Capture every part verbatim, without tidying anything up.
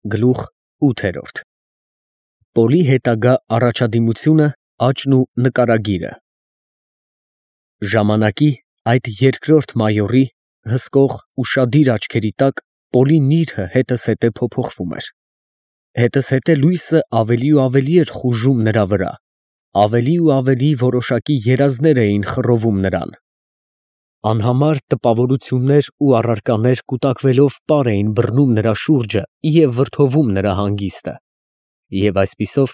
Գլուխ ութ Պոլի հետագա առաջադիմությունը, աճն ու նկարագիրը Ժամանակի այդ երկրորդ մայորի հսկող, ուշադիր աչքերի տակ Պոլի նիրհը հետզհետե փոփոխվում էր. հետզհետե լույսը ավելի ու ավելի էր խուժում նրա վրա, ավելի ու ավելի որոշակի երազներ էին խռովում նրան. անհամար տպավորություններ ու առարկաներ կուտակվելով պար էին բռնում նրա շուրջը և վրդովում նրա հանգիստը, և այսպիսով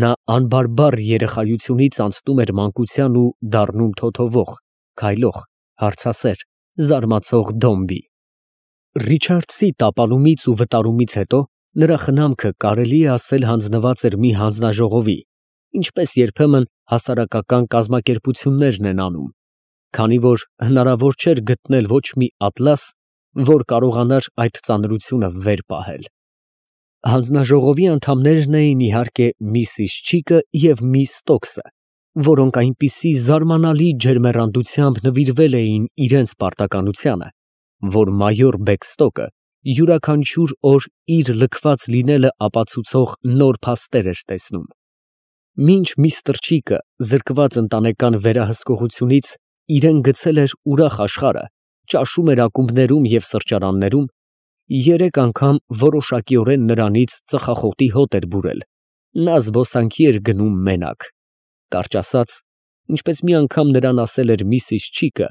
նա անբարբար երեխայությունից անցնում էր մանկության ու դառնում թոթովող, քայլող, հարցասեր, զարմացող դոմբի։ Ռիչարդսի տապալումից ու վտարումից հետո նրա խնամքը կարելի է ասել հանձնված էր մի հանձնաժողովի, ինչպես երբեմն հասարակական կազմակերպություններն են անում, քանի որ հնարավոր չէր գտնել ոչ մի ատլաս, որ կարողանար այդ ծանրությունը վեր պահել։ Հանձնաժողովի անդամներն էին, իհարկե, միսիս Չիկը և միս Ստոքսը, որոնք այնպիսի զարմանալի ջերմեռանդությամբ նվիրվել էին իրենց պարտականությանը, որ մայոր Բեքստոկը յուրաքանչյուր օր իր լքված լինելը ապացուցող նոր փաստեր էր տեսնում։ Մինչ միստր Չիկը զրկված ընտանեկան վերահսկողությունից իրեն գցել էր ուրախ աշխարհը, ճաշում էր ակումբներում և սրճարաններում, երեք անգամ որոշակիորեն նրանից ծխախոտի հոտ էր բուրել, նա զբոսանքի էր գնում մենակ, կարճ ասած, ինչպես մի անգամ նրան ասել էր միսիս Չիկը,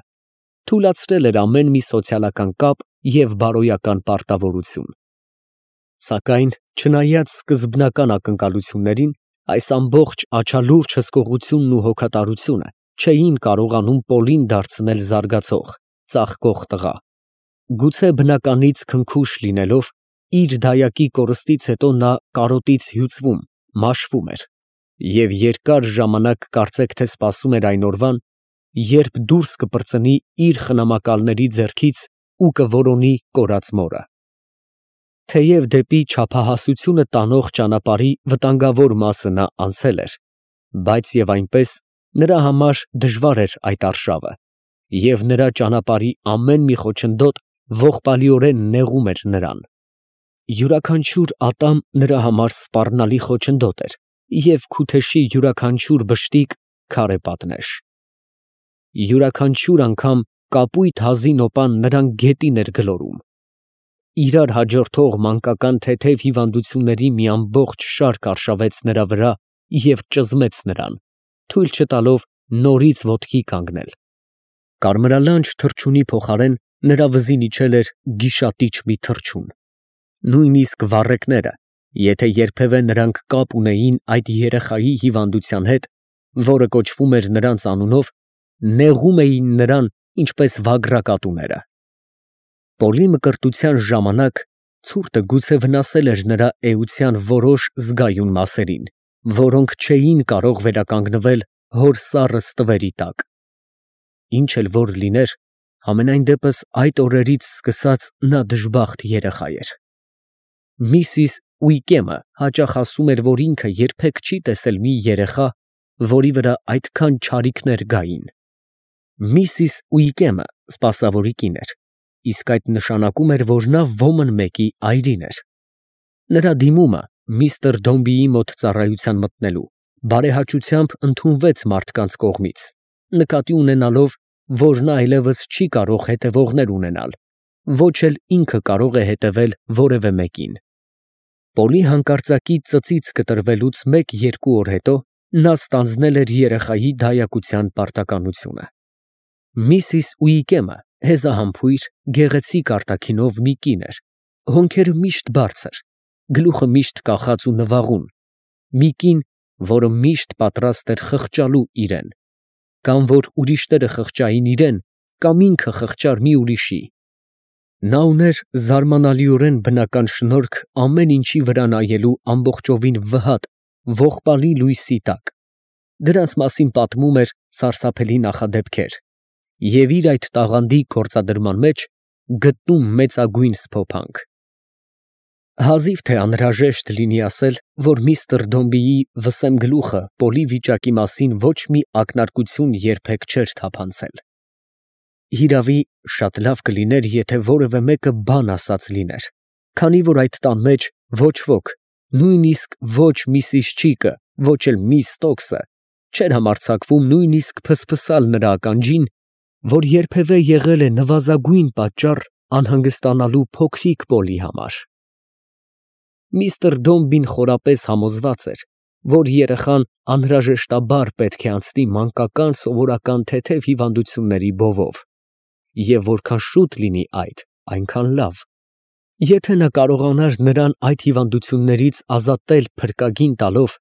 թուլացրել էր ամեն մի սոցիալական կապ և բարոյական պարտավորություն։ Սակայն, չնայած սկզբնական ակնկալություններին, այս ամբողջ աչալուրջ հսկողությունն ու հոգատարությունը չէին կարողանում Պոլին դարձնել զարգացող, ծաղկող տղա։ Գուցե բնականից քնքուշ լինելով, իր դայակի կորստից հետո նա կարոտից հյուծվում, մաշվում էր և երկար ժամանակ կարծեք թե սպասում էր այն օրվան, երբ դուրս կպրծնի իր խնամակալների ձեռքից ու կորոնի կորած մորը։ Թեև դեպի չափահասությունը տանող ճանապարհի վտանգավոր մասը նա անցել էր, բայց և այնպես նրա համար դժվար էր այդ արշավը, և նրա ճանապարհի ամեն մի խոչընդոտ ողբալիորեն նեղում էր նրան։ Յուրաքանչյուր ատամ նրա համար սպառնալի խոչընդոտ էր և քութեշի յուրաքանչյուր բշտիկ քարե պատնեշ։ Յուրաքանչյուր անգամ կապույտ հազի նոպան նրան գետին էր գլորում։ Իրար հաջորդող մանկական թեթև հիվանդությունների մի ամբողջ շարք արշավեց նրա վրա և ճզմեց նրան, թույլ չտալով նորից ոտքի կանգնել։ Կարմրալանջ թռչունի փոխարեն նրա վզին իջել էր գիշատիչ մի թռչուն։ Նույնիսկ վառեկները, եթե երբևէ նրանք կապ ունեին այդ երեխայի հիվանդության հետ, որը կոչվում էր նրանց անունով, նեղում էին նրան, ինչպես վագրակատուները։ Պոլի մկրտության ժամանակ ցուրտը գուցե վնասել էր նրա էության որոշ զգայուն մասերին, որոնք չէին կարող վերականգնվել հոր սառը ստվերի տակ։ Ինչ էլ որ լիներ, համենայն դեպս այդ օրերից սկսած նա դժբախտ երեխա էր։ Միսիս Ուիկեմը հաճախ ասում էր, որ ինքը երբեք չի տեսել մի երեխա, որի վրա այդքան չարիքներ գային։ Միսիս Ուիկեմը սպասավորի կին էր, իսկ այդ նշանակում էր, որ նա ոմն մեկի այրին էր։ Նրա դիմումը միստր Դոմբիի մոտ ծառայության մտնելու բարեհաճությամբ ընդունվեց մարդկանց կողմից, նկատի ունենալով, որ նա այլևս չի կարող հետևողներ ունենալ, ոչ էլ ինքը կարող է հետևել որևէ մեկին։ Պոլի հանկարծակի ծծից կտրվելուց մեկ֊երկու օր հետո նա ստանձնել էր երեխայի դայակության պարտականությունը։ Միսիս Ուիկեմը հեզահամբույր, գեղեցիկ արտաքինով մի կին էր, հոնքերը միշտ բարձր, գլուխը միշտ կախած ու նվաղուն, մի կին, որը միշտ պատրաստ էր խղճալու իրեն, կամ որ ուրիշները խղճային իրան, կամ ինքը խղճար մի ուրիշի։ Նա ուներ զարմանալիորեն բնական շնորհք ամեն ինչի վրա նայելու ամբողջովին վհատ, ողբալի լույսի տակ, դրանց մասին պատմում էր սարսափելի նախադեպքեր և իր այդ տաղանդի գործադրման մեջ գտնում մեծագույն սփոփանք։ Հազիվ թե անհրաժեշտ լինի ասել, որ միստր Դոմբիի վսեմ գլուխը Պոլի վիճակի մասին ոչ մի ակնարկություն երբեք չէր թափանցել։ Հիրավի, շատ լավ կլիներ, եթե որևէ մեկը բան ասած լիներ, քանի որ այդ տան մեջ Ոչ ոք, նույնիսկ ոչ միսիս Չիկը, ոչ էլ միս Ստոքսը չէր համարձակվում նույնիսկ փսփսալ նրա ականջին, որ երբևէ եղել է նվազագույն պատճառ անհանգստանալու փոքրիկ Պոլի համար։ Միստր Դոմբին խորապես համոզված էր, որ երեխան անհրաժեշտաբար պետք է անցնի մանկական սովորական թեթև հիվանդությունների բովով, և որքան շուտ լինի այդ, այնքան լավ։ Եթե նա կարողանար նրան այդ հիվանդություններից ազատել փրկագին տալով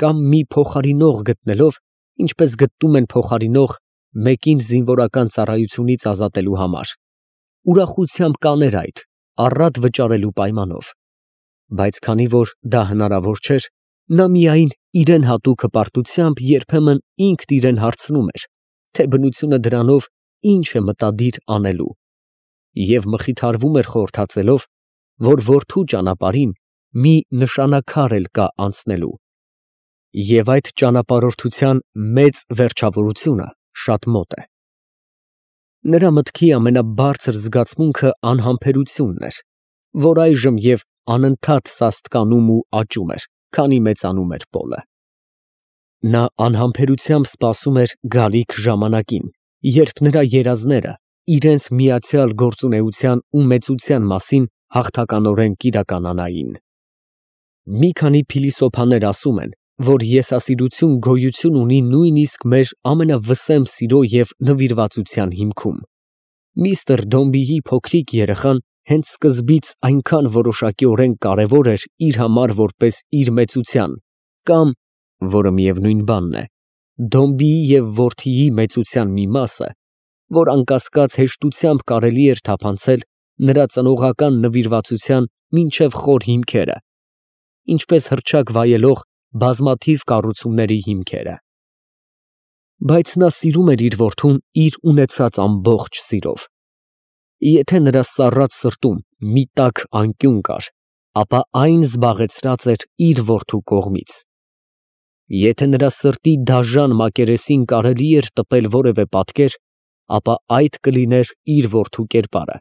կամ մի փոխարինող գտնելով, ինչպես գտնում են փոխարինող մեկին զինվորական ծառայությունից ազատելու համար, ուրախությամբ կաներ այդ, առատ վճարելու պայմանով։ Բայց քանի որ դա հնարավոր չէր, նա միայն իրեն հատուկ հպարտությամբ երբեմն ինքն իրեն հարցնում էր, թե բնությունը դրանով ինչ է մտադիր անելու, և մխիթարվում էր խորհրդածելով, որ որդու ճանապարհին մի նշանաքար էլ կա անցնելու, և այդ ճանապարհորդության մեծ վերջավորությունը շատ մոտ է։ Նրա մտքի ամենաբարձր զգացմունքը անհամբերությունն էր, որ այժմ և անընդհատ սաստկանում ու աճում էր, քանի մեծանում էր Պոլը։ Նա անհամբերությամբ սպասում էր գալիք ժամանակին, երբ նրա երազները իրենց միացյալ գործունեության ու մեծության մասին հաղթականորեն կիրականանային։ Մի քանի փիլիսոփաներ ասում են, որ եսասիրություն գոյություն ունի նույնիսկ մեր ամենավսեմ սիրո և նվիրվածության հիմքում։ Միստր Դոմբիի փոքրիկ երեխան հենց սկզբից այնքան որոշակիորեն կարևոր էր իր համար որպես իր մեծության կամ, որը միևնույն բանն է, Դոմբիի և որդիի մեծության մի մասը, որ անկասկած հեշտությամբ կարելի էր թափանցել նրա ծնողական նվիրվածության մինչև խոր հիմքերը, ինչպես հռչակ վայելող բազմաթիվ կառուցումների հիմքերը։ Բայց նա սիրում էր իր որդուն իր ունեցած ամբողջ սիրով։ Եթե նրա սառած սրտում մի տաք անկյուն կար, ապա այն զբաղեցրած էր իր որդու կողմից։ Եթե նրա սրտի դաժան մակերեսին կարելի էր տպել որևէ պատկեր, ապա այդ կլիներ իր որդու կերպարը,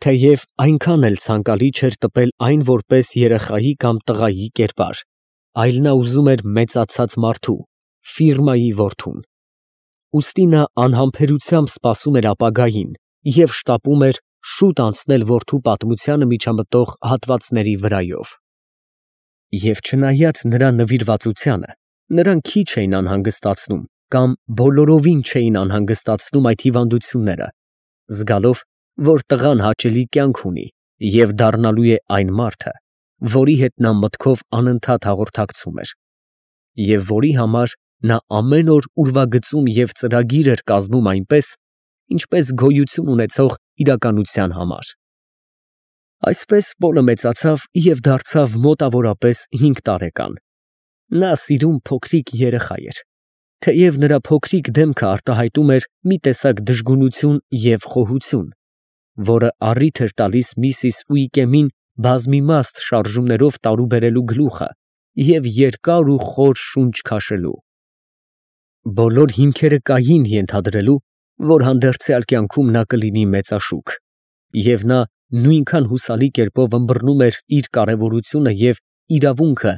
թեև այնքան էլ ցանկալի չէր տպել այն որպես երեխայի կամ տղայի կերպար, այլ նա ուզում էր մեծացած մարդու, ֆիրմայի որդուն։ Ուստի նա անհամբերությամբ սպասում էր ապագային և շտապում էր շուտ անցնել որդու պատմությանը միջամտող հատվածների վրայով։ Եվ չնայած նրա նվիրվածությանը, նրան քիչ էին անհանգստացնում կամ բոլորովին չէին անհանգստացնում այդ հիվանդությունները, զգալով, որ տղան հաճելի կյանք ունի և դառնալու է այն մարդը, որի հետ նա մտքով անընդհատ հաղորդակցում էր, և որի համար նա ամեն օր ուրվագծում և ծրագիր էր կազմում այնպես, ինչպես գոյություն ունեցող իրականության համար։ Այսպես Պոլը մեծացավ և դարձավ մոտավորապես հինգ տարեկան։ Նա սիրուն փոքրիկ երեխա էր, թեև նրա փոքրիկ դեմքը արտահայտում էր մի տեսակ դժգունություն և խոհություն, որը առիթ էր տալիս միսիս Ուիկեմին բազմիմաստ շարժումներով տարուբերելու գլուխը և երկար ու խոր շունչ քաշելու։ Բոլոր հիմքերը կային ենթադրելու, որ հանդերձյալ կյանքում նա կլինի մեծաշուք, և նա նույնքան հուսալի կերպով ըմբռնում էր իր կարևորությունը և իրավունքը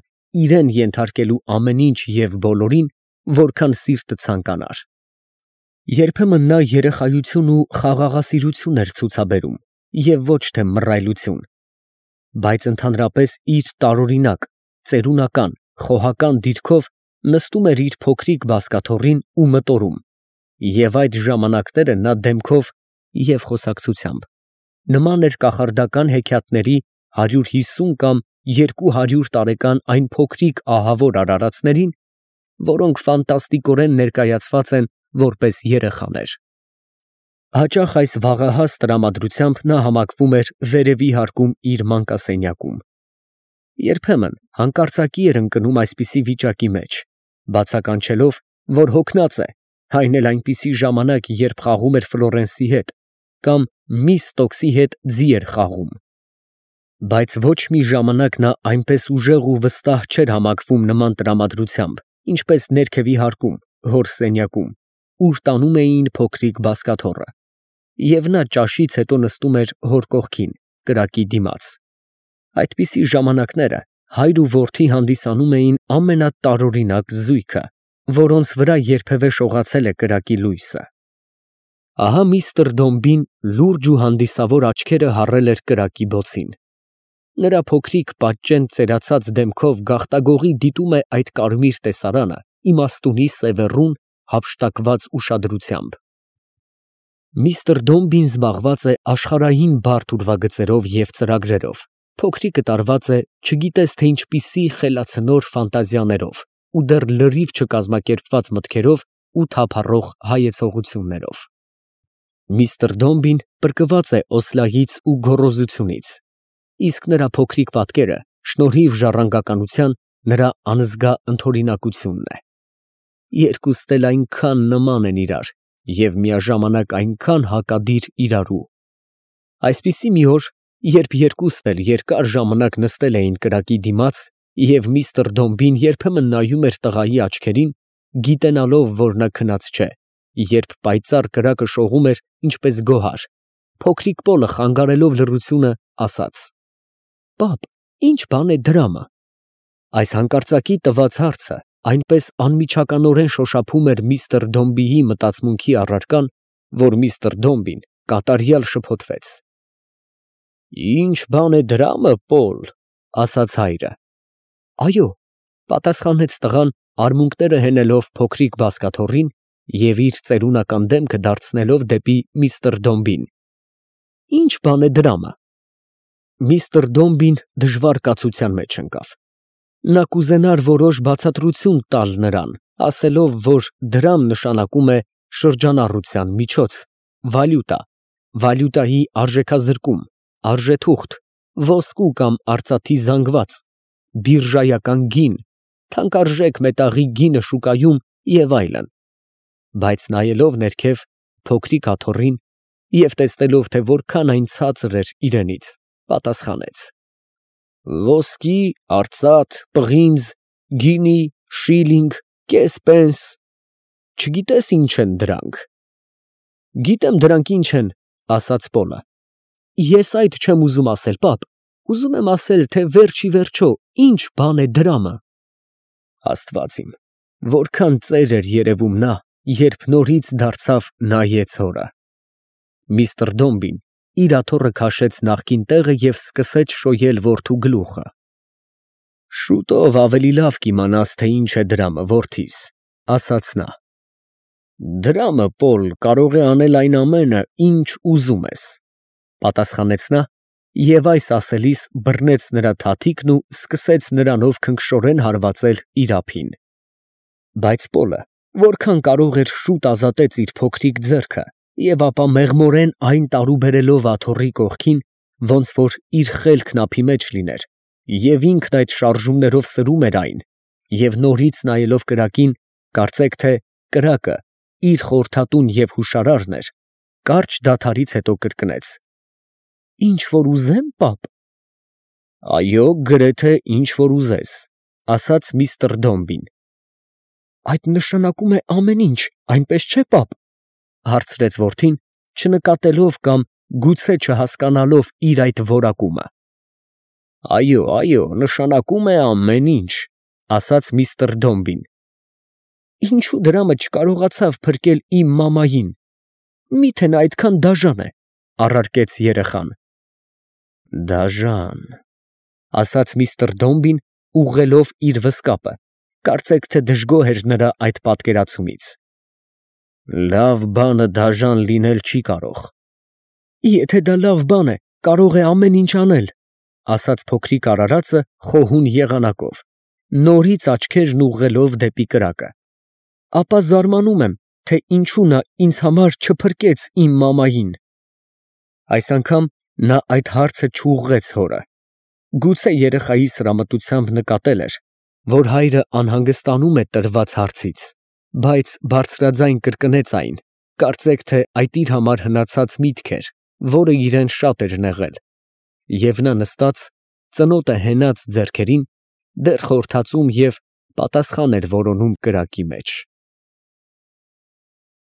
իրեն ենթարկելու ամեն ինչ և բոլորին, որքան սիրտը ցանկանար։ Երբեմն նա երեխայություն ու խաղաղասիրություն էր ցուցաբերում և ոչ թե մռայլություն, բայց ընդհանրապես իր տարօրինակ, ծերունական, խոհական դիրքով նստում էր իր փոքրիկ բազկաթոռին ու մտորում, և այդ ժամանակները նա դեմքով և խոսակցությամբ նման էր կախարդական հեքիաթների հարյուր հիսուն կամ երկու հարյուր տարեկան այն փոքրիկ ահավոր արարածներին, որոնք ֆանտաստիկորեն ներկայացված են որպես երեխաներ։ Հաճախ այս վաղահաս տրամադրությամբ նա համակվում էր վերևի հարկում իր մանկասենյակում։ Երբեմն հանկարծակի էր ընկնում այսպիսի վիճակի մեջ, բացականչելով, որ հոգնած է, այն էլ այնպիսի ժամանակ, երբ խաղում էր Ֆլորենսի հետ կամ միս Ստոքսի հետ ձի էր խաղում։ Բայց ոչ մի ժամանակ նա այնպես ուժեղ ու վստահ չէր համակվում նման տրամադրությամբ, ինչպես ներքևի հարկում, հոր սենյակում, ուր տանում էին փոքրիկ բազկաթոռը, և նա ճաշից հետո նստում էր հոր կողքին, կրակի դիմաց։ Այդպիսի ժամանակները հայր ու որդի հանդիսանում էին ամենատարօրինակ զույգը, որոնց վրա երբևէ շողացել է կրակի լույսը։ Ահա միստր Դոմբին լուրջ ու հանդիսավոր աչքերը հառել էր կրակի բոցին։ Նրա փոքրիկ պատճեն ծերացած դեմքով գաղտագողի դիտում է այդ կարմիր տեսարանը իմաստունի սևեռուն հափշտակված ուշադրությամբ։ Միստր Դոմբին զբաղված է աշխարհային բարդ ուրվագծերով և ծրագրերով, փոքրիկը տարված է չգիտես թե ինչպիսի խելացնոր ֆանտազիաներով ու դեռ լրիվ չկազմակերպված մտքերով ու թափառող հայեցողություններով։ Միստր Դոմբին պրկված է Օսլայից ու գոռոզությունից, իսկ նրա փոքրիկ պատկերը, շնորհիվ ժառանգականության, նրա անզգա ընդօրինակությունն է։ Երկուստ էլ այնքան նման են իրար և միաժամանակ այնքան հակադիր իրարու։ Այսպիսի մի օր, երբ երկուստ էլ երկար ժամանակ նստել էին կրակի դիմաց, և միստր Դոմբին երբեմն նայում էր տղայի աչքերին, գիտենալով, որ նա քնած չէ, երբ պայծառ կրակը շողում էր ինչպես գոհար, փոքրիկ Պոլը խանգարելով լռությունը, ասաց. «Պապ, ի՞նչ բան է դրամը»։ Այս հանկարծակի տված հարցը այնպես անմիջականորեն շոշափում էր միստր Դոմբիի մտածմունքի առարկան, որ միստր Դոմբին կատարյալ շփոթվեց։ «Ի՞նչ բան է դրամը, Պոլ», ասաց հայրը։ «Այո», պատասխանեց տղան, արմունկները հենելով փոքրիկ բազկաթոռին և իր ծերունական դեմքը դարձնելով դեպի միստր Դոմբին։ «Ի՞նչ բան է դրամը»։ Միստր Դոմբին դժվար կացության մեջ ընկավ։ Նա կուզենար որոշ բացատրություն տալ նրան, ասելով, որ դրամ նշանակում է շրջանառության միջոց, վալյուտա, վալյուտայի արժեքազրկում, արժեթուղթ, ոսկու կամ արծաթի զանգված, բիրժայական գին, թանկարժեք մետաղի գինը շուկայում և այլն, բայց նայելով ներքև փոքրիկ աթոռին և տեսնելով, թե որքան այն ցածր էր իրենից, պատասխանեց. «Ոսկի, արծաթ, պղինձ, գինի, շիլինգ, կես պենս, չգիտես ինչ են դրանք»։ «Գիտեմ դրանք ինչ են», ասաց Պոլը։ «Ես այդ չեմ ուզում ասել, պապ, ուզում եմ ասել, թե վերջիվերջո ի՞նչ բան է դրամը»։ Աստված իմ, որքան ծեր էր երևում նա, երբ նորից դարձավ նայեց հորը։ Միստր Դոմբին իր աթոռը քաշեց նախկին տեղը և սկսեց շոյել որդու գլուխը։ «Շուտով ավելի լավ կիմանաս, թե ինչ է դրամը, որդիս», ասաց նա։ «Դրամը, Պոլ, կարող է անել այն ամենը, ինչ ուզում ես», պատասխանեց նա և այս ասելիս բռնեց նրա թաթիկն ու սկսեց նրանով քնքշորեն հարվածել իր ափին։ Բայց Պոլը որքան կարող էր շուտ ազատեց իր փոքրիկ ձեռքը և ապա մեղմորեն այն տարուբերելով աթոռի կողքին, ոնց որ իր խելքն ափի մեջ լիներ, և ինքն այդ շարժումներով սրում էր այն, և նորից նայելով կրակին, կարծեք թե կրակը իր խորհրդատուն և հուշարարն էր, կարճ դադարից հետո կրկնեց. «Ինչ որ ուզե՞մ, պապ»։ «Այո, գրեթե ինչ որ ուզես», ասաց միստր Դոմբին։ «Այդ նշանակում է ամեն ինչ, այնպես չէ՞, պապ», հարցրեց որդին, չնկատելով կամ գուցե չհասկանալով իր այդ որակումը։ «Այո, այո, նշանակում է ամեն ինչ», ասաց միստր Դոմբին։ «Ինչու դրամը չկարողացավ փրկել իմ մամային, մի՞թե նա այդքան դաժան է», առարկեց երեխան։ «Դաժան», ասաց միստր Դոմբին, ուղղելով իր վզկապը, կարծեք թե դժգոհ էր նրա այդ պատկերացումից։ «Լավ բանը դաժան լինել չի կարող»։ «Եթե դա լավ բան է, կարող է ամեն ինչ անել», ասաց փոքրիկ արարածը խոհուն եղանակով, նորից աչքերն ուղղելով դեպի կրակը։ «Ապա զարմանում եմ, թե ինչու նա ինձ համար չփրկեց իմ մամային»։ Այս անգամ նա այդ հարցը չուղղեց հորը։ Գուցե երեխայի սրամտությամբ նկատել էր, որ հայրը անհանգստանում է տրված հարցից, բայց բարձրաձայն կրկնեց այն, կարծեք թե այդ իր համար հնացած միտք էր, որը իրեն շատ էր նեղել, և նա նստած, ծնոտը հենած ձեռքերին, դեռ խորհրդածում և պատասխան էր որոնում կրակի մեջ։